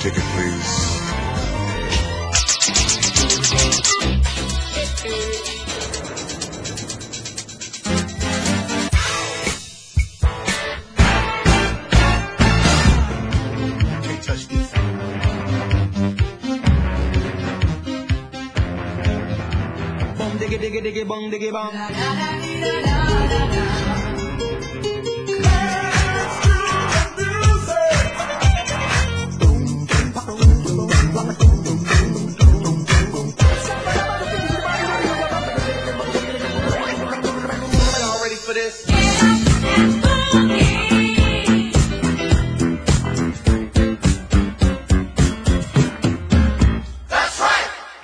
Ticket, please. Can't touch this. Bum diggy diggy diggy bum diggy bum. Y'all ready for this?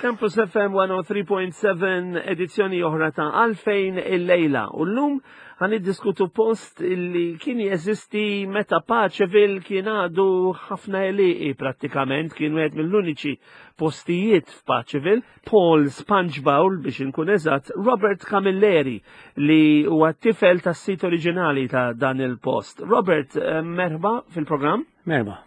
Campus FM 103.7 edizzjoni oħra ta' Għalfejn il-lejla. U l-lum għan iddiskutu post li kien jeżisti meta Paċeville kien għadu ħafna eliqi prattikament, kien wieħed mill-uniċi postijiet f'Paċeville, Paul Sponge biex inkun eżatt, Robert Camilleri li huwa tifel tas-sit oriġinali ta' dan il-post. Robert, eh, merħba fil-programm. Merba.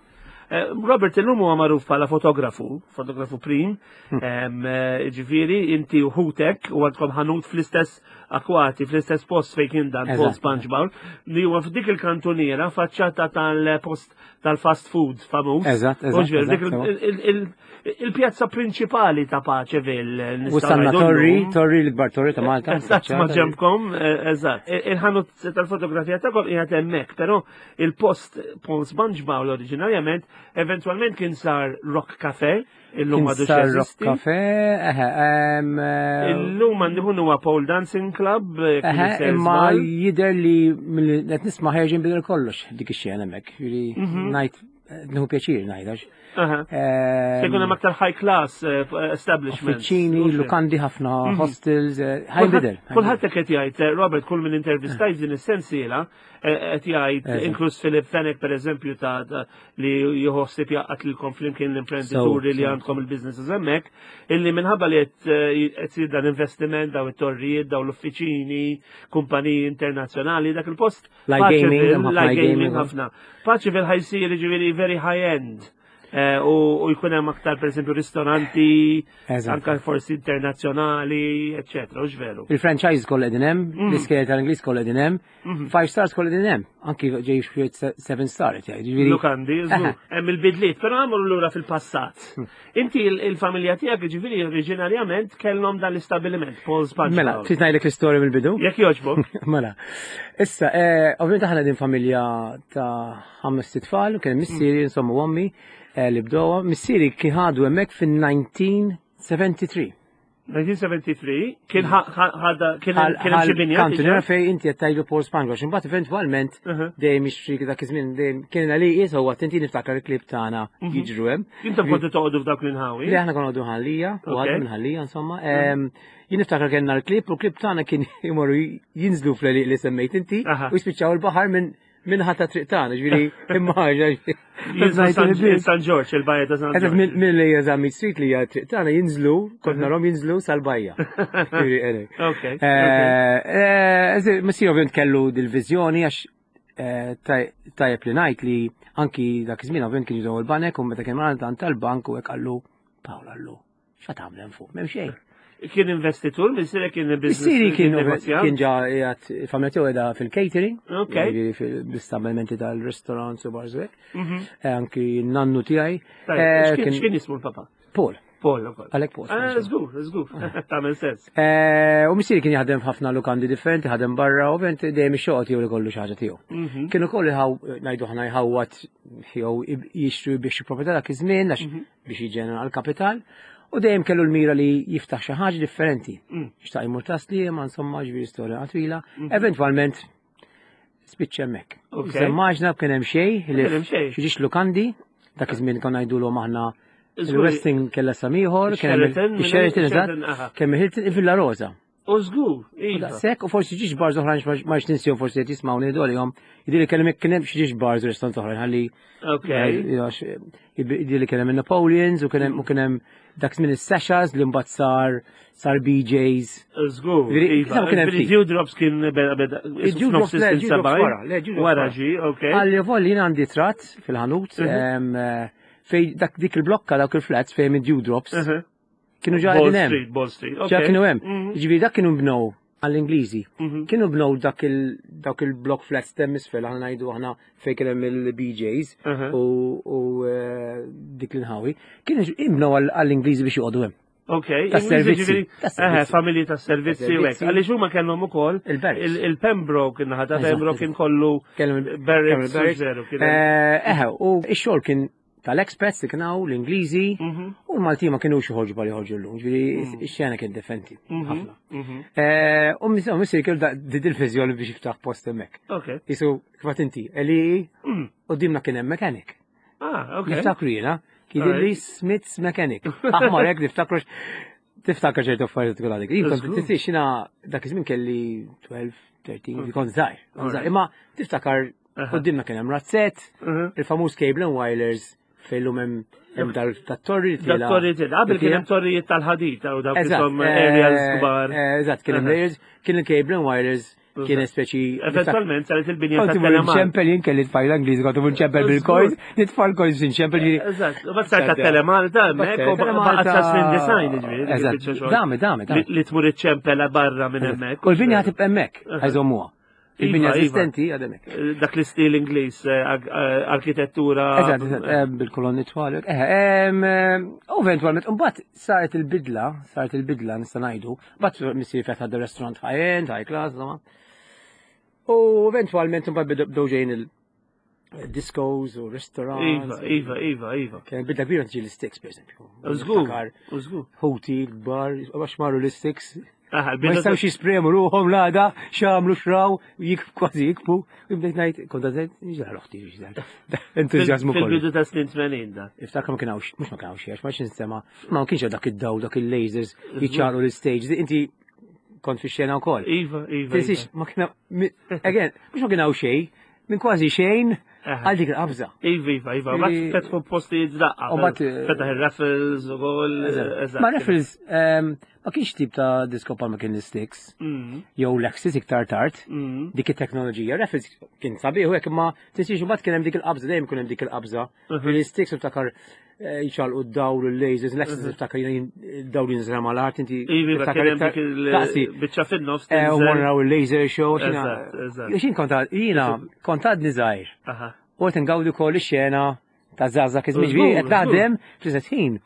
Eh, Robert illum huwa magħruf bħala fotografu, fotografu prim, em, eh, ġifieri inti u ħutek u għandkom ħanut fl-istess akwati, fl-istess post fejn kien dan Paul Eżatt. Sponge Bowl, li huwa f'dik il-kantuniera faċċata tal-post tal-fast food famuż. Eżatt, eżatt, U ġifieri, dik eżatt, il- il- il- Il-pjazza prinċipali ta' Paċeville. U sanna torri, torri l-ikbar torri ta' Malta. Eżatt, ma ġembkom, eh, eżatt. Il-ħanut tal-fotografija tagħkom qiegħed hemmhekk, però il-post Paul Sponge Bowl oriġinarjament eventwalment kien sar Rock Cafe, illum Kien għadu sar Rock jeżisti. Cafe, eħe, em, eh, Illum għandu huwa Pole Dancing Club, eh, kien eħe, isir imma żball. jider li mill- qed nisma' ħerġin bidel kollox dik ix-xena hemmhekk. Jiġifieri ngħid eh, nieħu pjaċir ngħid għax. Aha. em, Se jkun hemm aktar high class eh, establishments. Uffiċini, Mhux hekk? lukandi ħafna hostels, eh, ħajbidel. Kulħadd qed jgħid, eh, Robert, kull minn intervistajt din is-sensiela eh, qed jgħid Eżatt. inkluż Philip Fenech pereżempju ta' ta' li jħossib jaqgħad lilkom flimkien l-imprenditori So, li so. għandkom il-businesses hemmhekk, illi minħabba li qed eh, qed isir dan investiment daw it-torrijiet, daw l-uffiċini, kumpaniji internazzjonali, dak il-post. Light gaming, Paċeville, hemm ħafna light light gaming gaming, ħafna. Paċeville ħajsir ġifieri very high end. Eh, U u jkun hemm aktar pereżempju ristoranti, Eżatt. anka forsi internazzjonali, eccetera, u veru. Il-franchise kollha qegħdin hemm, l-iskejjel tal-Ingliż kollha qegħdin hemm, five stars kollha qegħdin hemm, anki ġej xi seven star qed jgħid. Jiġifieri- Lukandi, żgur, hemm il-bidliet, però għamlu lura fil-passat. Inti il- il-familja tiegħek ġifieri oriġinarjament kellhom dan l-istabiliment, Paul Sponge. Mela, Bowl. trid ngħidlek l-istorja mill-bidu? Jekk jogħġbok. Mela, issa, eh, ovvijament aħna din familja ta' ħames tfal, kien missieri, insomma, u ommi, eh, li bdowa. Missieri kien ħadu hemmhekk fin-1973. 1973 kien ħa- ħa- ħadha kien hemm kien hemm xi binja. Kantuniera diġà? fej inti qed tgħidu Paul Spangler, imbagħad eventwalment Uh-huh. dejjem jixtri dak iż-żmien dejjem kien li qies huwa tinti niftakar il-klib tagħna jiġru hemm. Intom kontu toqgħodu f'dawk l-inħawi. Li aħna konna għadu ħallija, u Ok. għadu minn ħallija, insomma. Em, Jien niftakar kellna l-klib, u l-klib tagħna kien imorru jinżlu fl-għeliq li semmejt inti, Aha. u jispiċċaw il-baħar minn minn ħatta triq tagħna, ġifieri imma Jinżlu San- San George, il-bajja ta' San Eżatt George. minn li hija Meat Street li hija triq tagħna jinżlu, kont narhom jinżlu sal-bajja. Ġifieri, anyway. Ok, ok. Eh, eh, Missier ovvjament kellu dil-viżjoni għax eh, taj- tajjeb li ngħid li anki dak iż-żmien ovvjament kien jużaw il-banek u meta kien għand tal-bank u hekk qallu Pawl qallu x'għad tagħmel hemm fuq, m'hemm xejn. Kien investitur, missieri kien business. Missieri kien negozjant. kien ġa qiegħed il-familja tiegħu qiegħda fil-catering, Ok. jiġifieri fil-istabbilimenti tal-restaurants u bars u hekk. Eh, Anki n-nannu tiegħi Tajjeb, eh, x'kien kien x'kien jismu l-papa? Paul, Paul ukoll. għalhekk Paul. Ah, Żgur, żgur. Tagħmel sens. Eh, U missieri kien jaħdem f'ħafna lukandi differenti, ħadem barra, u ovvjament dejjem ix-xogħol tiegħu li kollu xi ħaġa tiegħu. Mhm. Kienu koll iħaw ngħidu ħna jħawwat jew jixtru biex xi proprjetà dak iż-żmien għax biex jiġġenera l-kapital. U dejjem kellu l-mira li jiftaħ xi ħaġa differenti. Xtaq jmur tasli, ma insomma ġifieri storja twila. Eventwalment spiċċa hemmhekk. Ok. Semmaġna kien hemm xejn li Kien hemm xejn. xi ġiex lukandi, dak iż-żmien konna ngħidulhom aħna Żgur, il-Westin kellha samiħor, kien hemm Sheraton, il-Sheraton, Sheraton, aha. eżatt, kemm il-Hilton, il-Villa Rosa. U żgur, iva. Daqshekk u forsi ġiex bars oħrajn ma ninsihom forsi qed jismgħu ngħidu għalihom. Jidhirli kellem kien hemm xi ġiex bars u restaurant oħrajn ħalli Ok. jidhirli kien hemm il-Napoleons u kien hemm u kien hemm dak żmien is-Sashas li mbagħad sar sar BJ's. Żgur, Ġifieri, iva. kien hemm Ġifieri ftit. Dewdrops kien beda beda. Id-Dewdrops, le, Dewdrops wara, le, Dewdrops Wara wara. ġi, ok. Għalli volli jien għandi trat fil-ħanut em, eh, Fej dak dik il-blokka dawk il-flats fejn id-dewdrops kienu ġa Ball qegħdin hemm. Street, Ball Street. Ġa ok. kienu hemm. Mhm. Ġifieri dak kienu bnew għall-Ingliżi. Mhm. Kienu bnew dak il dawk il-block flats t'hemm isfel aħna ngħidu aħna fejn kien hemm il-BJs u u eh, dik l-inħawi. Kienu imbnew għall-Ingliżi biex joqogħdu hemm. Ok, Tas-servizzi. ġifieri, Tas-servizzi. eħe, familji tas-servizzi u hekk. Tas-servizzi. Għaliex huma kellhom ukoll Il-barracks. il-Pembroke, in-naħa ta' Eżatt, Pembroke kien kollu Kellhom il- barracks kellhom il-barracks. zero. Kien hemm- Eh, Eħe, u x-xogħol kien tal-expats li kien hawn, l-Ingliżi, Mhm. u l-Malti ma kienux joħorġu bħal joħorġu llum, ġifieri x-xena kien differenti ħafna. Mhm. Eh, U missier kellu di dil-viżjoni biex jiftaħ post hemmhekk. Ok. Isu, kif inti, li u dimna kien hemm mechanic. Ah, ok. Niftakru jiena, kien li Smith's Mechanic. Aħmar hekk niftakru tiftakar ċertu affarijiet tkun għadek. Jien kont Żgur. tinsiex jiena dak iż-żmien kelli 12, 13, kont żgħir. kont żgħir. Imma tiftakar qudiemna kien hemm razzett, Mhm. il-famuż Cable and Wireless fejn lum hemm hemm dal tat-torri li Da tiela. torrijiet, qabel kien hemm tiela. torrijiet tal-ħadid u dawk Eżatt, isom aerials kbar. Eżatt, kien hemm Aha. layers, kien il-Cable and Wireless kien speċi. Eventualment saret il-binja Kont ta' imur Telemark. nċempel jien kelli tfajla Ingliż, kont imur nċempel bil-coins, nitfa' l-coins nċempel ġifieri. Eżatt, u bat sar ta' Telemalta hemmhekk u baqgħet sa snin design ġifieri. dik Eżatt, il-biċċa xogħol. dame, dame, dame. Li tmur iċ-ċempela barra minn hemmhekk. U l-binja ħatib hemmhekk, ħajżommuha. Il-binja Iva, iva. eżistenti għad hemmhekk. Dak l-istil Ingliż, arkitettura. Eżatt, eżatt, bil-kolonni twal. U eventualment, mbagħad saret il-bidla, saret il-bidla nista' ngħidu, mbagħad missieri fetaħ the restaurant high-end, high class, insomma. U eventualment mbagħad bdew ġejjin il-discos u Iva, restaurants. iva, iva, iva. Kien bidla kbira tiġi l-sticks, per esempio. Żgur, Niftakar u żgur. Ħuti l-kbar, għax marru l-sticks. Aha, Ma l-bidu jistawx jispremu ruħom l-għada, xamlu xraw, jik kważi jikbu. U bdejt ngħid, kont għazet, ġar uħti, ġar. Entuzjazmu kollu. Fil-bidu ta' snin 80 da. Iftakar ma kienx, mhux ma kienx, għax ma x'instema, ma kienx dak id-daw, dak il-lasers, jiċċaru l-stage, inti kont fi xena wkoll. Iva, iva. Tinsiex, ma kien again, mhux ma kien hawn xejn, minn kważi xejn Aha. għal dik il-qabża. Iva, iva, iva. Bat Li- fetħu postijiet daqqa. U bat, Fetaħ il-raffles u gol. Ma Raffles, ma kienx tip ta' disco pa ma kien l-sticks, jew l-Axis iktar tard, dik it-teknoloġija. Raffles kien sabiħ u hekk imma tinsiex imbagħad kien hemm dik il-qabża, dejjem kien hemm dik il-qabża. Fil-sticks iftakar jċalqu d-dawl u l-lasers, l-Axis iftakar jien dawl jinżel mal-art, inti Iva, iva, tiftakar kien hemm iktar- dik Taqsi, il-biċċa fin-nofs. u tinżel. morraw il-laser show. Eżatt, eżatt. Xin kont jiena kont għadni żgħir. Aha. U qed ngawdi wkoll ix-xena ta' żgħażagħ iż-żmien Żgur, ġifieri qed naħdem fl-istess ħin.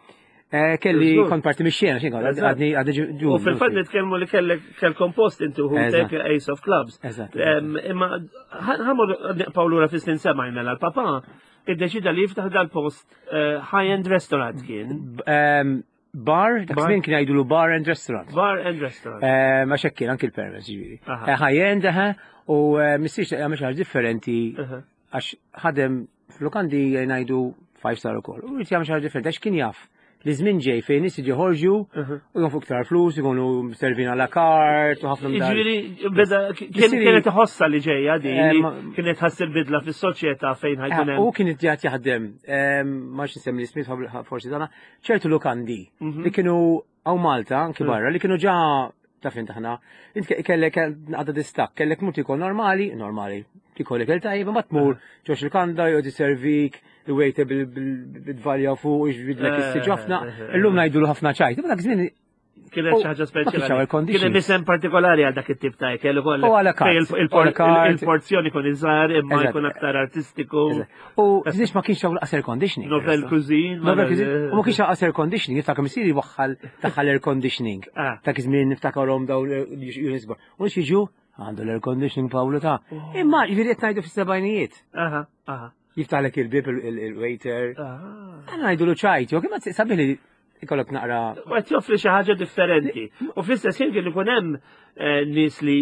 Eh, Kelli Żgur. kont parti mix-xena, xejn kont Eżatt. għadni għadni ġu. U fil-fatt nitkellmu li kellek kellkom post inti u Eżatt. tek Ace of Clubs. Eżatt. Imma ħamur nibqgħu lura fis-snin sema mela l-papa iddeċida li jiftaħ dal-post high-end restaurant kien. Bar, dak Bar. żmien kien jgħidulu bar and restaurant. Bar and restaurant. Ma xekk kien anki l-permess ġifieri. Aha. High-end, eħe, u missiex jagħmel xi ħaġa differenti Aha. għax ħadem f'lukandi ngħidu five star ukoll. U jrid jagħmel xi ħaġa differenti għax kien jaf li żmien ġej fejn nies jiġu joħorġu u jonfqu iktar flus, ikunu servin għala kart u ħafna minn dan. Ġifieri, beda kien Missieri- kienet iħossa li ġejja di, Eh, li ma- kienet ħass il-bidla fis-soċjetà fejn ħajkun U hemm. kien id-djat jaħdem, ma nsemmi l-ismiet forsi dana, ċertu lukandi li kienu għaw Malta, anki barra, li kienu ġa ta' fin taħna, int kellek għadda distak, kellek mur tikol normali, normali, tikol ikel tajjeb, ma tmur ġox il-kanda, jgħod servik, il-waiter bil-dvalja fuq, iġbidlek is-siġu ħafna, illum ngħidulu ħafna ċajt, imma dak żmien Kienet u xi ħaġa ma kienx hawn speċjali. air conditioning. Kien hemm isem partikolari għal dak it-tip ta' ikel ukoll. U għala kart, Fejn u għala kart. Il-porzjoni kun iżgħar imma Eżatt. jkun aktar artistiku. U tinsiex ma kienx hawn laqas air conditioning. Novel cuisine. ma- Novel cuisine. U ma kienx hawn air conditioning, niftakar missieri waħħal daħħal air conditioning. Ah. Ta' żmien niftakarhom dawn l-units bar. U jiġu għandu l-air conditioning Pawlu ta' Imma jiġifieri qed ngħidu fis-sebgħinijiet. Aha, aha. Jiftaħlek il-bib il-waiter. Ah. Għana ngħidu lu ċajt, jew kemm sabiħ li ikollok naqra. U qed joffri xi ħaġa differenti. U fl-istess ħin kien ikun hemm nies li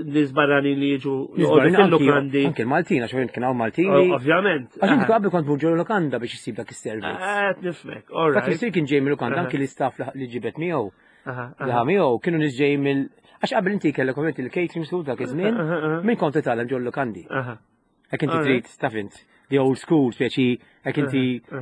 nies barranin li jiġu joqogħdu fil-lukandi. Anki l-Maltin, għax kien hawn Maltini. Ovvjament. Għax inti qabel kont mur ġol lukanda biex issib dak is-servizz. Qed nifhmek, all Dak right. is kien ġej mill-lukanda Aha. anki l-istaff li ġibet miegħu. Aha, Li aha. miegħu kienu nies ġej mill Għax qabel inti kellek ovvjament il-catering school dak iż-żmien, Aha, aha. minn kont titgħallem ġol lukandi. Aha. Jekk inti Alright. trid taf int, the old school, speċi Hekk inti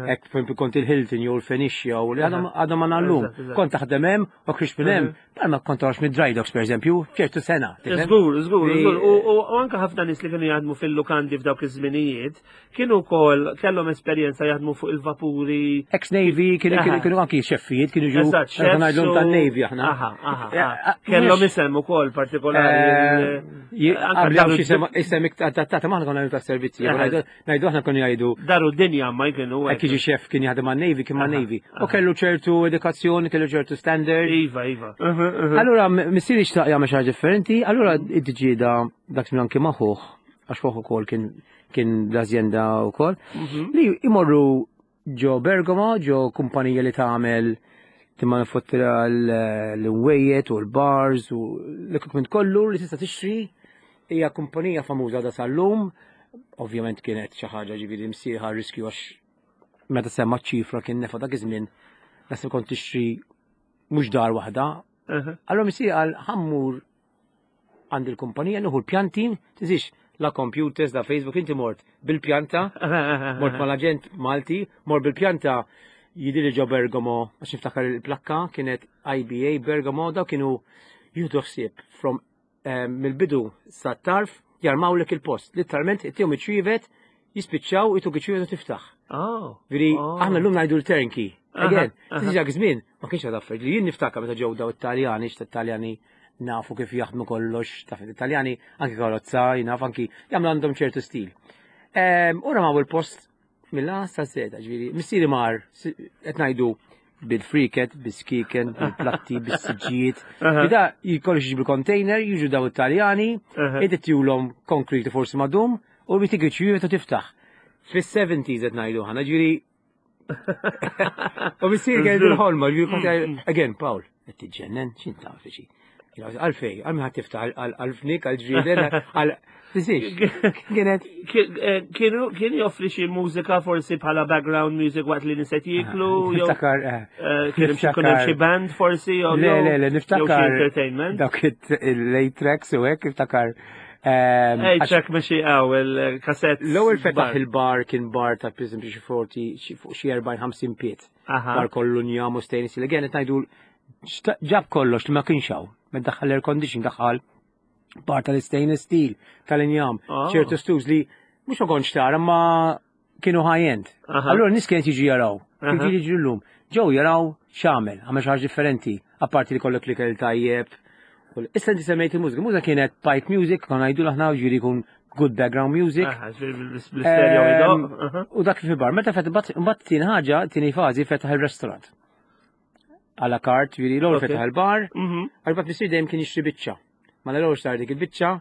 hekk per kont il-Hilton jew il-Phoenicia u li għadhom għadhom ma nallum. Kont taħdem hemm u ħriġt minn hemm, bħalma kont toħroġ mid-dry docks pereżempju, ċertu sena. tifhem? Żgur, żgur, Li- żgur. U anke ħafna nies li kienu jaħdmu fil-lukandi f'dawk iż-żminijiet, kienu wkoll kellhom esperjenza jaħdmu fuq il-vapuri. Ex-Navy, kienu kienu kienu anki xeffijiet, kienu ġu Eżatt, chefs ngħidlhom tan-Navy aħna. Aha, aha, Eh, aha. eh, Kellhom mhux- isem ukoll partikolari. Eh, anke Qabel daru- xi isem isem iktar adattata ma aħna konna ngħidu tas-servizzi, Aha. ngħidu aħna konna jgħidu Daru d-dinja ma jkienu. hekk jiġi xef kien jaħdem man-Navy kien man-Navy. U kellu ċertu edukazzjoni, kellu ċertu standard. Iva, iva. Allura missieri xtaq jagħmel xi ħaġa differenti, allura id-ġieda dak żmien anki maħuh, għax fuq ukoll kien kien l-azjenda wkoll, li imorru ġo Bergamo, ġo kumpanija li tagħmel timmanufuttura l-inwejjed u l-bars u l-equipment kollu li tista' tixtri hija kumpanija famuża da sal-lum. Ovvjament kienet xi ħaġa ġifieri msieħa riskju għax meta semma ċifra kien nefa dak iż-żmien naħseb kont tixtri mhux dar waħda. Allora missieri qal ħammur għand il-kumpanija nieħu l-pjanti, tiżix la computers, la Facebook, inti mort bil-pjanta, mort mal-aġent Malti, mort bil-pjanta jidili ġo Bergamo, għax niftakar il-plakka kienet IBA Bergamo, daw kienu jieħdu ħsieb from mill-bidu sa tarf jarmawlek il-post. Literalment, ittihom iċ-ċwievet, jispiċċaw, ituk iċ-ċwievet u tiftaħ. Oh. Veri, Oh. aħna l-lum ngħidu l-turnkey. Aha, Again, aha. tiġi dak żmien, ma kienx għad affarijiet. Li jien niftakar meta ġew daw it-Taljani, x'ta Taljani nafu kif jaħdmu kollox, taf it-Taljani anki karozza, jnaf anki jagħmlu għandhom ċertu stil. U ramaw il-post mill-A sa Z, ġifieri, missieri mar, qed ngħidu bil-friket, bil-skiken, bil-platti, bil-siġġijiet. Bida jkollox jiġi bil-container, jiġu daw it-Taljani, id-tjulhom konkret forsi madum, u bitik iċ-ċwievet u tiftaħ. Fis-70s qed ngħidu ħana, ġifieri U missier kien il-ħolma, ġifieri kont again, Paul, qed tiġġennen, x'int taf xi. Għalfej, għal min ħadd tiftaħ għal-fnik, għal-ġrieden, għal Tisix, kienet Kienu kien joffri xi mużika forsi bħala background music waqt li niset jiklu, jew Niftakar, kien hemm xi kien hemm xi band forsi jew Le, le, le, jew xi niftakar. entertainment. Dawk il-late tracks u hekk, niftakar. Ej, ċek mexi għaw il-kassett. L-ewwel fetaħ il-bar kien bar ta' per eżempju xi 40 xi fuq xi 40-50 piet. Aha. Bar kollu njam u stainless steel. Again, qed ngħidu ġab kollox li ma kienx hawn. Meta daħħal air condition daħħal bar tal-stainless steel, tal-injam, Ah. ċertu stools li mhux ma kontx tara ma kienu high-end. Aha. Allura nies kienet jiġu jaraw. Kif Aha. jiġu llum. Ġew jaraw x'għamel, għamel xi ħaġa differenti, apparti li kollok li kell tajjeb. Issa inti semmejt il-mużika, mużika kienet pipe music, konna ngħidu aħna ġifieri jkun good background music. Aha, ġifieri bl-stereo idoq. Aha. U dak fi bar, meta fet mbagħad tieni ħaġa, tieni fażi fetaħ il-restaurant. A la carte, ġifieri l-ewwel Ok. fetaħ il-bar, għax bat missier dejjem kien jixtri biċċa. Ma l-ewwel sar dik il-biċċa,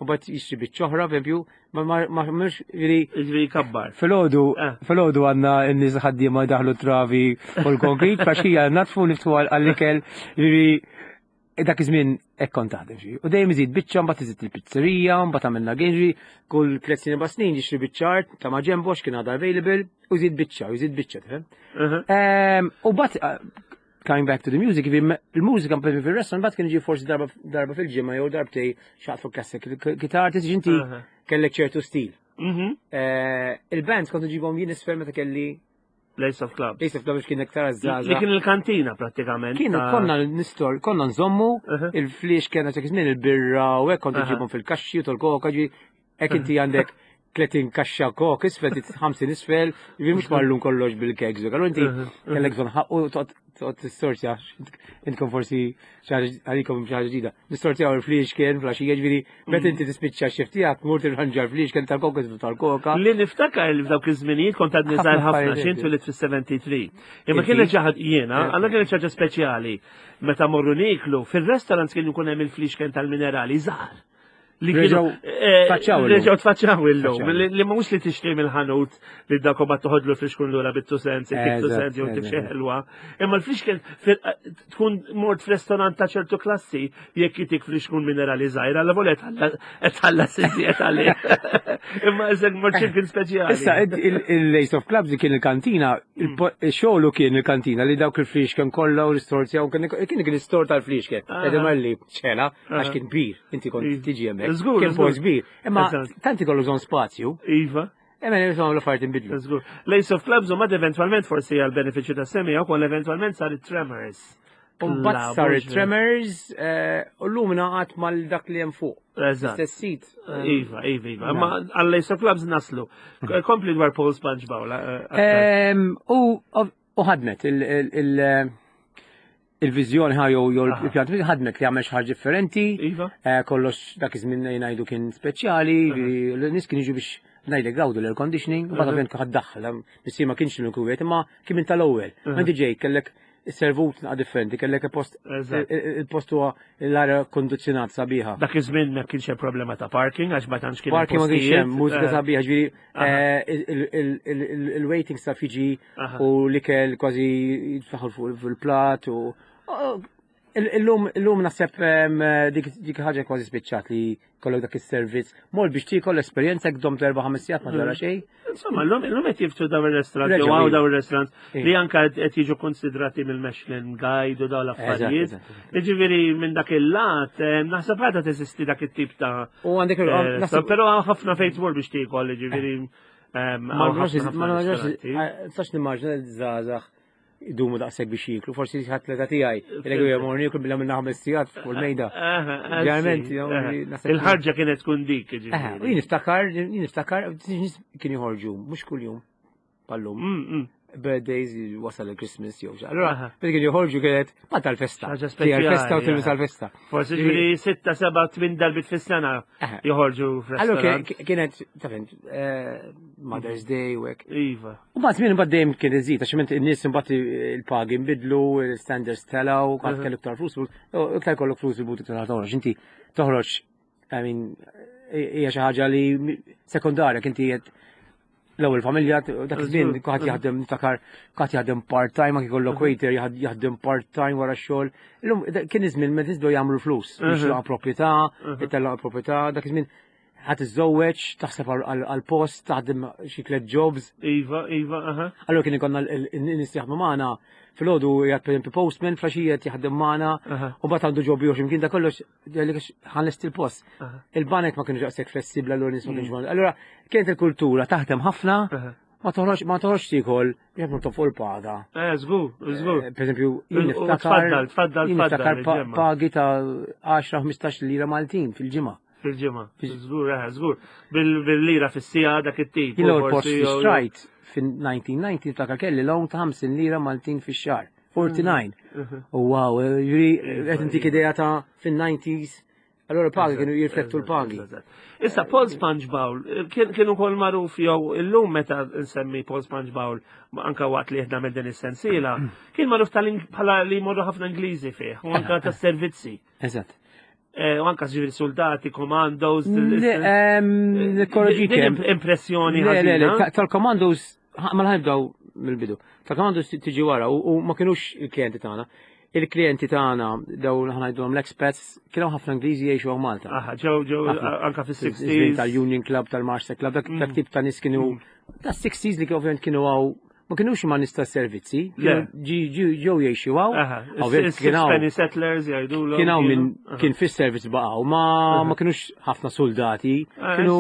u bat jixtri biċċa oħra, pereżempju, ma ma mhux ġifieri Ġifieri kabbar. Filgħodu, Ah. filgħodu għandna n-nies ħaddiema daħlu travi u l-konkrit, faxija natfu niftu għall-ikel, ġifieri dak iż-żmien hekk kont taħdem xi. U dejjem iżid biċċa, mbagħad iżid il-pizzerija, mbagħad għamilna ginġri, kull tliet snin ba' snin jixtri biċċa art ta' ma' ġembu għax kien għadha available, u jżid biċċa, u jżid biċċa, tifhem? U bat, coming back to the music, il-mużika per fil-restaurant, bat kien ġi forsi darba darba fil-ġimgħa jew darbtej xaqt fuq classic gitar, tiġi inti kellek ċertu stil. Il-bands kontu ġibhom jien isfel meta kelli Place of Clubs. Place of Clubs kien iktar żgħażagħ. Li kien il-kantina prattikament. Kien konna nistor, konna nżommu il-fliex kena ċek żmien il-birra u hekk kontu ġibhom fil-kaxxi u tal-koka ġi hekk inti għandek 30 kaxxa kok isfel, 50 isfel, ġifieri mhux mallum kollox bil-kegs. Allura inti kellek bżonn ħaqqu toqgħod tistortja, intkom forsi għalikom xi ħaġa ġdida. Nistortjaw il-fliex kien flaxija ġifieri meta inti tispiċċa x-xift tiegħek tmur tirranġa l-fliex kien tal-koka isfel tal-koka. Li niftakar li f'dawk iż-żminijiet kont għadni żgħar ħafna x'int twilit fis-73. Imma kienet xi ħaġa jiena, għandna kienet xi ħaġa speċjali. Meta morru niklu, fil-restaurants kien ikun hemm il-flixken tal-minerali żgħar. Li kienu tfaċċaw illum. Reġgħu tfaċċaw illum. Li mhux li tixtri mill-ħanut li dak u toħodlu l-flixkun lura bit-two cents, it-two cents jew tip xi ħelwa. Imma l-flixken tkun mort f'restorant ta' ċertu klassi jekk jitik flixkun minerali żgħira, alla volet qed tħallas iżjed għalih. Imma isek mort x'imkien speċjali. Issa il-Lace of Clubs li kien il-kantina, xogħlu kien il-kantina li dawk il-flixken kollha u l-istorzja u kien kien l-istor tal-flixken. Qegħdem għalli ċela għax kien kbir, inti kont tiġi hemmhekk. Żgur, Kien żgur. post kbir. Imma Eżatt. tant ikollu bżonn spazju. Iva. Emma insomma l-affarijiet inbidlu. Żgur. Lace of Clubs u mad eventwalment forsi għal benefiċċju ta' semija wkoll eventwalment sar it-Tremors. Mbagħad sar it-Tremors eh, u llum ngħaqad mal dak li hemm fuq. Eżatt. Istess sit. Iva, iva, iva. Ma għal Lace of Clubs naslu. Kompli dwar Paul Sponge Bowl. Eh, u ħadmet il-viżjoni ħa jew jew il-pjan ħadmet li għamel xi ħaġa differenti. Iva. Eh, kollox dak iż-żmien ngħidu kien speċjali, l-nies kien jiġu biex ngħidlek gawdu l-air conditioning, u bagħad ovvjament ħadd daħħal, missier ma kienx l-uniku imma kien minn tal-ewwel. Inti ġej kellek servut naqa differenti, kellek il-post il-post huwa l-arja kondizzjonat sabiħa. Dak iż-żmien ma kienx hemm problema ta' parking għax ma tantx kien Parking ma kienx hemm, mużika eh. sabiħa, ġifieri eh, il-waiting staff jiġi u l-ikel kważi jitfaħħu fuq il-plat u Illum illum naħseb dik ħaġa kważi spiċċat li kollok dak is-servizz. Mol biex tiekol l-esperjenza jekk domt erba' ħames sigħat ma ġara mm. xejn. Insomma, llum illum qed jiftu daw ir-restaurant jew hawn daw ir-restaurant li anke qed jiġu konsidrati mill-Michelin Guide u daw l-affarijiet. Jiġifieri minn dak il-lat naħseb għadha teżisti dak it-tip ta' U għandek eh, però ħafna fejn tmur biex tiekol, jiġifieri Ma nistax nimmaġina l-żgħażagħ idumu daqshekk biex jieklu, forsi ħadd l-età tiegħi, il jew morni jieklu bilha minna ħames sigħat fuq il-mejda. Ġeneralment, il-ħarġa kienet tkun dik. Jien niftakar, jien niftakar, kien joħorġu, mhux kuljum, pallum. Mm, mm. Birthdays wasal il-Christmas jew xi. Allura, meta kien joħorġu kienet ma tal-festa. Tal-festa u tilbis tal-festa. Forsi ġifieri sitta, seba' tmien darbit fis-sena joħorġu f'restaurant. Allura kienet, taf eh, Mother's Day u hekk. Iva. U mbagħad żmien imbagħad dejjem kien iżid għax iment in-nies imbagħad il-pagi nbidlu, il-standards telgħu, qatt kellu iktar flus, iktar kollok flus il-but iktar toħroġ. Inti toħroġ, I mean, hija xi ħaġa li sekondarja inti qed l-ewwel familja dak iż-żmien kulħadd jaħdem niftakar kulħadd jaħdem part-time anke jkollok waiter jaħdem part-time wara x-xogħol. Illum kien iż-żmien meta nies jagħmlu flus, biex proprjetà, itellgħu proprjetà, dak iż-żmien ħat iżżewweġ, taħseb għal-post, taħdem xi tliet jobs. Iva, iva, aha. Allura kien ikonna n-nies jaħdmu magħna filgħodu jgħid pereżempju postman, flaxija qed jaħdem magħna, u mbagħad għandu job ieħor x'imkien da kollox jgħidlek ħanlest il-post. Il-banek ma kienux daqshekk flessibbli allura nies ma kienx mm. Allura kienet il-kultura taħdem ħafna, ma toħroġ ma toħroġ tiekol jekk ma fuq il-paga. Eh, żgur, żgur. Eh, per eżempju, jien niftakar. Tfaddal, tfaddal, tfaddal. Pagi ta' 10-15 lira Maltin fil-ġimgħa. Fil-ġimgħa. Żgur, eh, żgur. Bil-lira fis-sija dak it-tip. Jien l-ewwel post li xtrajt fin-1990 niftakar kelli loan ta' 50 lira Maltin fix-xahar. 49. Mhm. U wow, eh, juri qed intik idea ta' fin-90s. Allora pagi kienu jirflettu l-pagi. Issa Paul Sponge Bowl eh, kien ukoll magħruf jew illum meta nsemmi Paul Sponge Bowl anka waqt li qed nagħmel din is-sensiela, kien magħruf bħala li jmorru ħafna Ingliżi fih u anka tas-servizzi. Eżatt. Eh, u anka ġivir soldati, commandos. Nikkorreġik. Impressjoni. Le, le, le, tal-commandos, ma ħanibdaw mill-bidu. Tal-commandos tiġi wara u ma kienux il-klienti tagħna. Il-klienti tagħna dawn ħanajdulhom l-expats kienu ħafna Ingliżi jgħixu hawn Malta. Aha, ġew ġew anka fis-60s. Tal-Union Club, tal-Marsa Club, dak mm. tip ta' nies kienu mm. ta' 60s li ovvjament kienu għaw ma kienux ma nista servizzi, ġew jgħixu għaw. Penny settlers jgħidu Kien hawn minn kien fis-servizz baqgħu, ma ma kienux ħafna soldati, ah, kienu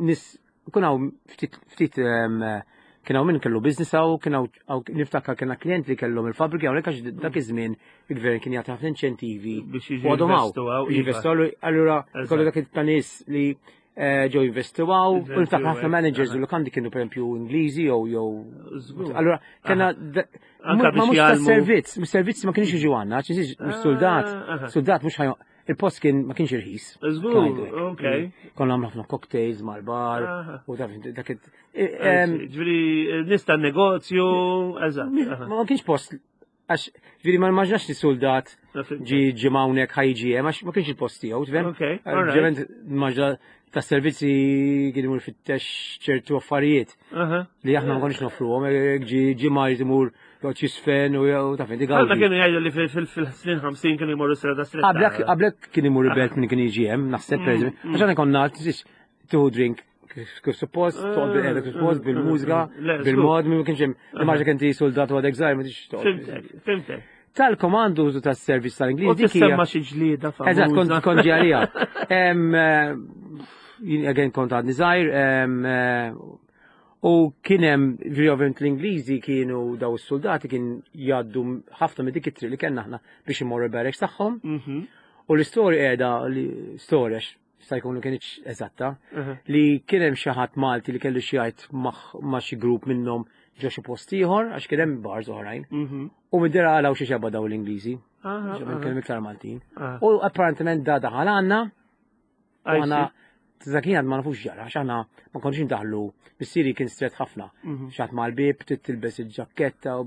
nis kien hawn ftit ftit kien hawn min kellu business hawn, kien hawn niftakar kien klient li kellhom il-fabbriki hawnhekk għax dak mm. iż-żmien il-gvern kien jagħti ħafna inċentivi biex għadhom hawn. Jinvestu allura kollu dak ta' nies li Eh, ġew jinvestu għaw, u niftakar ħafna managers u lukandi kienu per esempio Ingliżi jew jew. Allura kena ma mhux tas-servizz, mis-servizz ma kienx jiġu għandna, ċiżiġ ah, soldat, soldat mhux ħajja il-post kien ma kienx irħis. Żgur, ok. Konna għamlu ħafna cocktails mal-bar u dak eh, Ġifieri nista' negozju, eżatt. Ma kienx post Għax, ġviri, ma nimmaġinax li soldat ġi ġimawnek ħajġi hemm, għax ma kienx il-post tiegħu, tifhem? Ġement nimmaġina ta' servizzi kien imur fittex ċertu affarijiet li aħna ma konniex nofruhom, ġi ġimgħa jrid imur joqgħod jisfen u taf inti Għalma kienu jgħidu li fil-snin 50 kienu jmorru strada stretta. Qablek kien imur il-belt minn kien jiġi hemm, naħseb mm, mm. Għax aħna konna tieħu drink kif suppost, toqgħod bil-qiegħda kif suppost, bil-mużika, bil-mod, ma kienx hemm. Immaġina kien ti soldat u għadek żgħir ma tix toqgħod. Fimtek, fimtek. Tal-komandu użu tas-servizz tal-Ingliż. U tissemma xi ġlieda famuża. Eżatt, kont kont ġi għalija. Jien again kont għadni żgħir, eh, U kien hemm, ġifieri ovvjament l-Ingliżi kienu daw is-soldati kien jgħaddu ħafna minn dik it-triq li kellna aħna biex imorru l-barracks tagħhom. U l-istorja qiegħda li storja sta jkun li kienx eżatta, li kien hemm xi ħadd Malti li kellu xi jgħid ma' xi grupp minnhom ġo xi post ieħor għax kien hemm bars oħrajn. U mid-dera għalaw xi xebba daw l-Ingliżi. Kien hemm iktar Maltin. U apparentement da daħal għandna U għana, Zakin għad ma nafux ġara, għax aħna ma konniex ndaħlu, missieri kien stret ħafna. Xatt mal-bib, trid tilbes il-ġakketta u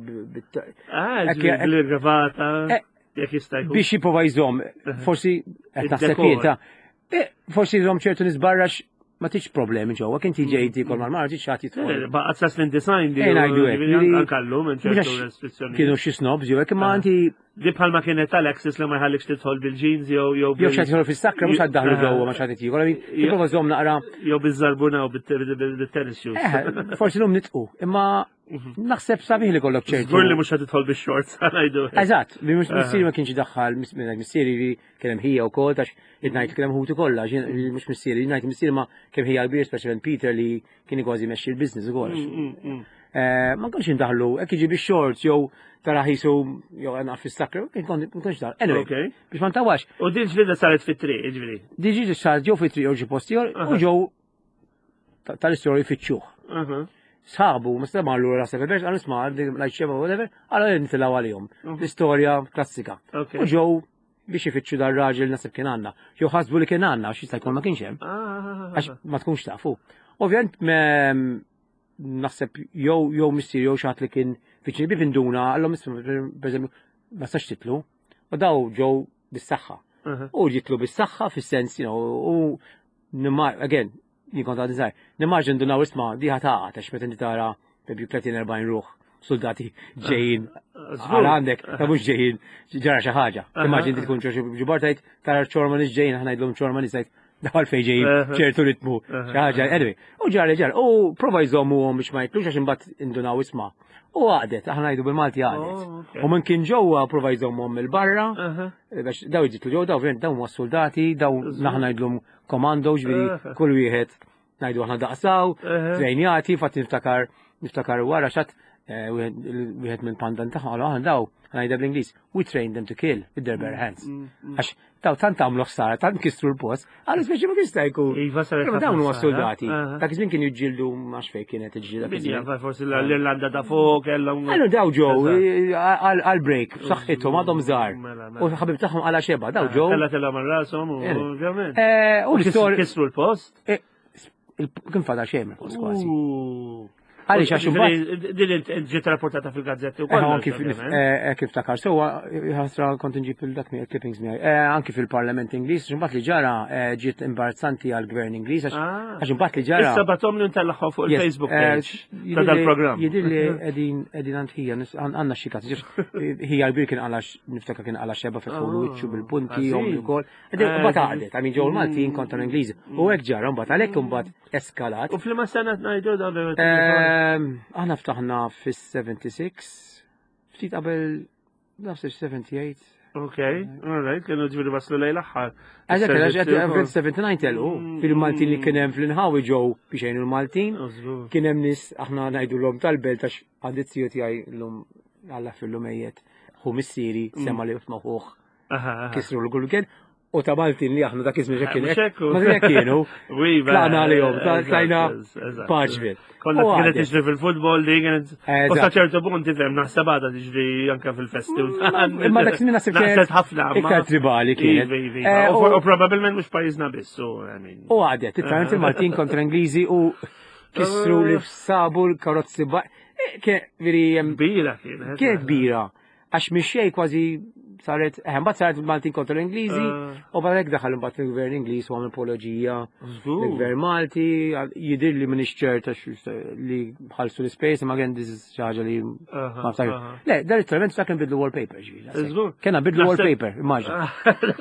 Ah, bil-gravata, eh, jekk jista' jkun. Biex jipprova jżomm, forsi qed naħseb Id-dekor. jien ta' eh, forsi jżomm ċertu nies barra ma tiġ problemi ġewwa, kien tiġi tikol mal-mara tiġ ħadd jidħol. Eh, Baqgħet sa snin design di. Eh, ngħidu hekk, li- Ankallum hemm ċertu Mhux restrizzjoni. Kienu xi snobs jew hekk imma Ah. inti Di bħalma kienet tal-Axis li ma jħallikx tidħol bil-jeans jew jew jew xi jidħol fis-sakra mhux ħadd daħlu Ah. ġewwa ma xi ħadd jiekol, jipprova żomm naqra jew bil-żarbuna u bil-tennis shoes. Eh, forsi l-lum nitqu, imma naħseb sabiħ li kollok ċertu. Żgur li mhux ħad tidħol bix-shorts ngħidu. Eżatt, li mhux missieri ma kienx idaħħal, missieri li kien hemm ħija wkoll tax id-ngħid kien hemm ħuti kollha, mhux missieri, ngħid missieri ma kemm ħija kbir speċjalment Peter li kien kważi mexxi l-business ukoll. Eh, ma konx indaħlu, hekk jiġi bix-shorts jew tara ħisu jew għana fis-sakra, ma konx daħlu. Anyway, biex ma ntawax. U din ġlida saret fit-triq, ġifieri. Din ġlida saret ġew fit-triq jew ġi post u ġew tal-istorja jfittxuh. Sħabu, ma sema l għura sefer, għal isma għal xeba, whatever, għal nitilaw għalihom. L-istorja klassika. U ġew biex ifittxu dar raġel nasib kien għandna. Jew ħasbu li kien għandna, għax jista' jkun ma kienx hemm. Ah. Għax ma tkunx tafu. Ovvjament naħseb jew jew missier jew xi ħadd li kien viċin bib induna għallhom pereżempju ma sax titlu. U daw ġew bis-saħħa. U jitlu bis-saħħa fis-sens, you know, u again, jien kont għadni żgħir, nimmaġin ndunaw isma' diħa taqa' għax meta inti tara pereżempju 30-40 ruħ soldati ġejjin għal għandek, ta' mhux ġejjin ġara xi ħaġa. Immaġin tkun ġo ġubar tajt tara ċorma nies ġejjin, aħna ngħidlhom ċorma nies tajt daw fejn ġejjin ċertu ritmu xi ħaġa. Anyway, u ġara ġara, u prova jżommuhom biex ma jitlux għax imbagħad indunaw isma'. U għaqdet, aħna ngħidu bil-Malti għaqdet. Oh, U minn kien ġewwa prova jżommhom mill-barra, biex daw jġitlu ġew daw daw huma soldati, daw naħna ngħidlhom komando, ġifieri kull wieħed ngħidu aħna daqsaw, trejnjati, fatt niftakar niftakar wara xat eh, wieħed minn pandan tagħhom qalu aħna daw ngħidha bl-Ingliż, we train them to kill with their bare hands. Mm, mm. Għax daw tant għamlu ħsara, tant kisru l-post, għallu speċi ma kista jkun. Iva saret Però dawn huma soldati. Eh. Dak iż-żmien kienu jiġġieldu ma xfej kienet iġġielda. Minja, forsi l-Irlanda ta' fuq kellhom. Għallu daw ġew eh, għal-break, b'saħħithom għadhom żgħar. Mela, U ħabib tagħhom għala xeba, daw ġew. Kella tella man rashom u ovvjament. Eh, u l-istorja. Kisru l-post. Kien fadal xejn mill-post kważi. U- Għaliex għax imbagħad Din ġiet rapportata fil-gazzetti Eh, wkoll. anki kif takar sewwa ħasra kont inġib il-dak mi clippings miegħi. Eh, anki fil-Parlament Ingliż, imbagħad li ġara eh, ġiet imbarazzanti għall-Gvern Ingliż għax Ah. għax imbagħad li ġara. Issa batom li ntellagħhom fuq Yes, il-Facebook eh, page ta' dal-programm. Jidir li qegħdin qegħdin għand ħija nis- għandna xi każ. Ħija kbir kien għala niftakar kien għala xeba fetħulu Ah, wiċċu bil-punti ħażin. jom ukoll. Eh, Mbagħad għaqdet, għamin ġew il-Maltin kontra l-Ingliżi. U hekk ġara mbagħad għalhekk imbagħad eskalat. U fl-ma sena ngħidu dan Aħna ftaħna fis-76, ftit qabel nafs 78. Ok, all right, kienu ġifieri waslu lejl aħħar. Għazek, Is-servizzi għax wkoll. 79 telqu, fil-Maltin li kien hemm fl-inħawi ġew biex jgħinu l-Maltin. Oh, żgur. Kien hemm nies aħna ngħidulhom tal-belt għax għandi t-tiju tiegħi llum Alla fillum ejjet. Hu missieri sema li ma ħuh Aha, aha. kisru l-gulgen u ta' Maltin li aħna dak iż-żmien kien Mhux hekk. hekk, u- Ma kien kienu. Wi, ba- Tlaqna għalihom, eżatt, tlajna eżatt. paċbit. Kollha U kienet għadet. tiġri fil-futbol li kienet. Eżatt. U sa ċertu punt tifhem naħseb għadha tiġri anke fil-festi. Imma dak żmien naħseb kienet Naqset ħafna. ma- iktar tribali kienet. Iva, iva, iva. Eh, U for- U probabbilment mhux pajjiżna biss, u I mean. U għadet, it-talent il-Maltin kontra Ingliżi u kisru li f'sabu l-karozzi ba. Eh, Kien veri jem Kbira kienet. kienet kbira. Għax mixej kważi saret, eh, mbagħad saret il-Maltin kontra l-Ingliżi, Eh. u barek daħal imbagħad il-Gvern Ingliż u għamel apologija. Żgur. Il-Gvern Malti, jidir li minix ċerta li ħalsu l-ispejs, imma again this is xi ħaġa li Aha, ma naftakar. aha. Le, dar it-trament sa kien bidlu wallpaper, ġifieri. Żgur. Kena bidlu Naħseb- wallpaper, immaġina.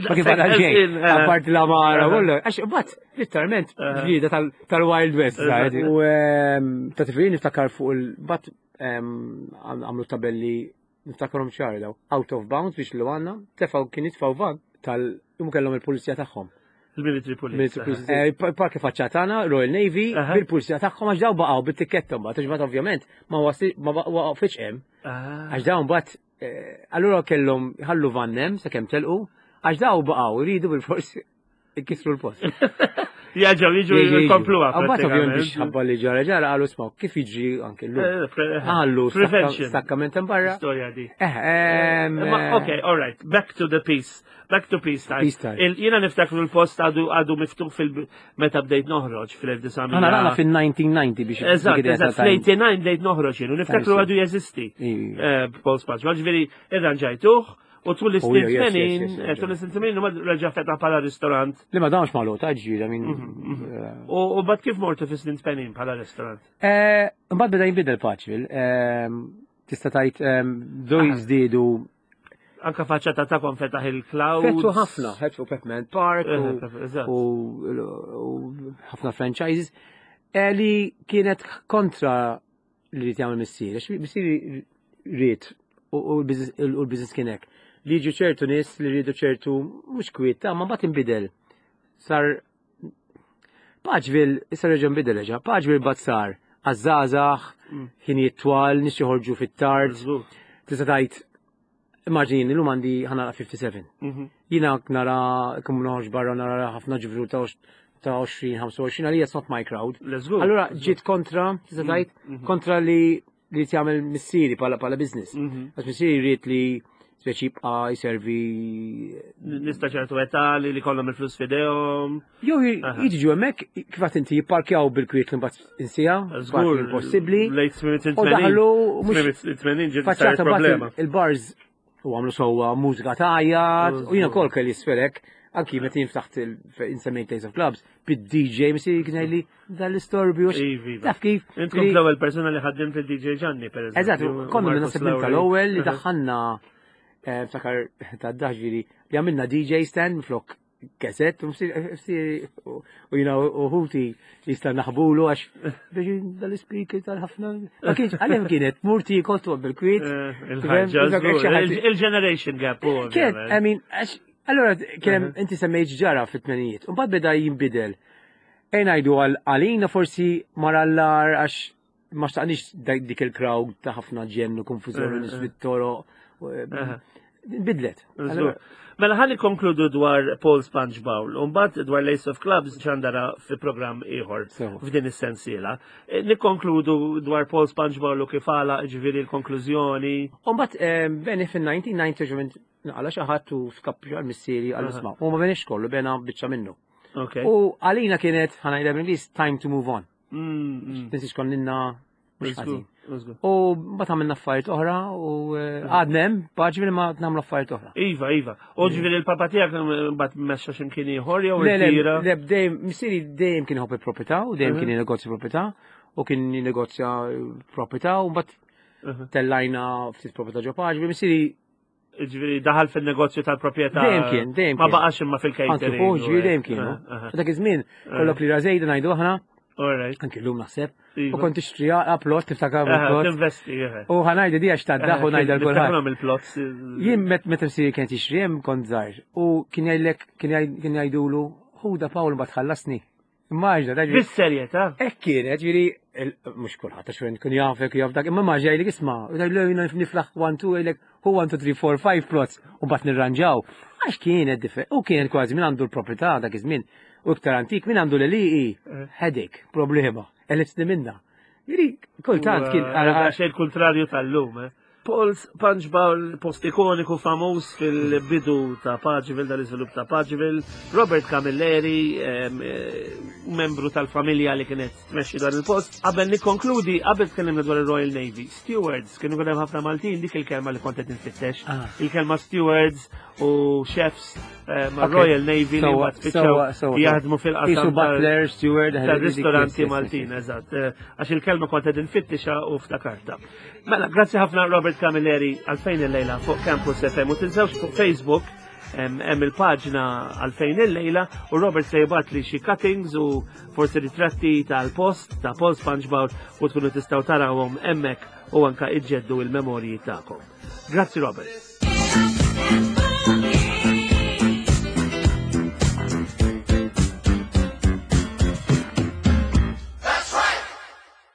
Ma kif għadha xejn, Eh. apparti la mara, kollu. Għax, bat, literalment, ġlieda tal-Wild West. Eżatt. saret. U ehm, ta' tifrin niftakar fuq il-bat ehm, għamlu tabelli niftakarhom ċari daw. Out of bounds biex li għanna, tefaw kien jitfaw van tal-jum kellhom il-pulizija tagħhom. Il-military police. Military police. Eh, Parki faċċata Royal Navy, bil-pulizija tagħhom għax daw baqgħu bit-tikketta mbagħad, għax ovvjament ma waqfitx hemm. Ah. Għax dawn mbagħad eh, allura kellhom ħallu vannem sakemm telqu, għax daw baqgħu jridu bil-forsi Ikissru l-post. Jaġaw, jiġu jkomplu għaf. Għabbat ovvijament biex ħabba li ġara ġara għalu smaw, kif jiġri anke l-lum. Eh, eh, għallu, stakkament barra. Storja di. Eh, ok, all right, back to the peace. Back to peace time. Peace time. Jena niftakru l-post għadu għadu miftuħ fil-meta bdejt noħroġ fil-1900. Għana rana fil-1990 biex. Eżatt, eżatt, fl-89 bdejt noħroġ jenu, niftakru għadu jeżisti. Paul Sponge, ġveri, irranġajtuh. U tul is-snin 80, eh, tul is-snin 80 ma reġa' fetaħ bħala ristorant. Li ma damx magħluq ta' ġġiela minn. Mhm, mhm. Eh. U bad kif mortu fis-snin 80 bħala ristorant? Eh, mbagħad beda jinbidel paċil. Ehm, tista' tgħid ehm, doj ah. żdiedu Anka faċċata ta' kon fetaħ il-cloud. Fetħu ħafna, fetħu Peppermint Park u ħafna franchises li kienet kontra li rrid jagħmel missieri, għax missieri rrid u l-business kien hekk. Li jiġu ċertu nies li rridu ċertu mhux kwiet, ta' ma mbagħad inbidel. Sar Paċville, issa reġa' nbidel reġa', Paċville bad sar għaż-żgħażagħ, mm. ħinijiet twal, nies joħorġu fit-tard. Tista' tgħid Immaġini, l-lum għandi ħana 57. Mhm. Jina nara, kum noħroġ barra nara ħafna ġivru ta' 20, 25, għalija it's not my crowd. Allora ġiet kontra, tista' mhm, tgħid, mhm. kontra li li jagħmel missieri pala pala business. Għax missieri jrid li speċi jibqa' jservi. Nista' ċertu età li li kollhom il-flus fidejhom. Jew jiġu hemmhekk kif qed inti jipparkjaw bil-kwiet li mbagħad insija, żgur impossibbli. U daħlu mhux faċċata problema. Il-bars u għamlu sewwa mużika tajjat u jiena kol kelli sferek anki meta jien ftaħt il-insemmejt Days of Clubs bid-DJ misi kien li dal-istorbju. Taf kif? Int kont l-ewwel persuna li ħaddimt il-DJ Ġanni pereżempju. Eżatt, konna minn naħseb minn tal-ewwel li daħħalna eh, ftakar ta' daħġiri li għamilna DJ stand flok Keset, u jina uħuti jista naħbulu għax biex dal-speaker tal-ħafna. Ma kienx, għalem kienet, murti koltu bil-kwit. Eh, il-generation gap. Kien, I mean, għax, allora, kien inti semmejt ġara fit-tmenijiet, un bad beda jimbidel. Ejn għajdu għalina forsi marallar għax ma xtaqniex dik il-crowd ta' ħafna ġenn u konfużjoni eh, nies eh. fit-toroq. Eh, bidlet. Mela ħalli konkludu dwar Paul Sponge Bowl, u mbagħad dwar Lace of Clubs ċandara fi programm ieħor f'din is-sensiela. Nikkonkludu dwar Paul Sponge Bowl u kif għala ġifieri l-konklużjoni. U mbagħad beni fin-1990 naqala xi ħadd u skappju għal missieri għal isma' U ma benix kollu bena biċċa minnu. U għalina kienet ħanajda bl-Ingliż time to move on. Mm, mm. Tinsiex konninna mhux ħażin. U mbagħad għamilna affarijiet oħra u eh, għadna hemm, paġi ma nagħmlu affarijiet oħra. Iva, iva. U ġifieri il-papa tiegħek mbagħad mexxa x'imkien ieħor jew irtira. Le, dejjem missieri dejjem kien iħobb il-proprjetà u dejjem kien jinegozja proprjetà u kien jinegozja proprjetà u mbagħad tellajna ftit proprjetà ġo paġi, missieri Ġifieri daħal fin-negozju tal-proprjetà. Dejjem kien, dejjem Ma baqax imma fil-catering. Anki fuq, ġifieri dejjem kienu. Dak iż-żmien kollok li rażejda ngħidu aħna. Anki llum naħseb. U iva. kont tixtri plot, tiftakar plot. Tinvesti, U ħanajda di għax taddaħ u ngħidha l-kulħadd. il-plots. Jien meta msiri kien tixtri hemm kont żgħir u kien jgħidlek kien jgħidulu ħuda Pawl ma tħallasni. Immaġna, dak. Bis-serjetà? Hekk kienet, ġifieri, mhux kulħadd għax kun jafek jaf dak, imma maġna jgħidlek isma' jgħidlek jiena niflaħ 1 2 jgħidlek hu 1 2 3 4 5 plots u mbagħad nirranġaw. Għax kienet differ, u kienet kważi min għandu l-proprjetà dak iż-żmien u iktar antik min għandu l-eliqi eh. headache, problema, elisni minna. Ġifieri, kultant kien. Xejn kontrarju tal-lum, eh. Paul's Punch Bowl, post ikoniku famuż fil-bidu ta' Paceville, dal-iżvilupp ta' Paceville. Robert Camilleri, eh, membru tal-familja li kienet tmexxi dan il-post. Qabel nikkonkludi, qabel tkellimna dwar il-Royal Navy, stewards, kienu kien hemm ħafna Maltin dik il-kelma li kont qed infittex. Ah. Il-kelma stewards u chefs eh, ma' Royal Navy li mbagħad spiċċaw jaħdmu fil-qasam butler, steward, tal-ristoranti Maltin, eżatt. Eh, għax il-kelma kont qed infittixa u ftakarta. Mela, grazzi ħafna Robert Camilleri għalfejn il-lejla fuq Campus FM u tinsewx fuq Facebook hemm il-paġna għalfejn il-lejla u Robert se jibgħat li xi cuttings u forsi ritratti tal-post ta' Paul SpongeBob u tkunu tistgħu tarawhom hemmhekk u anka iġġeddu il-memorji tagħkom. Grazzi Robert.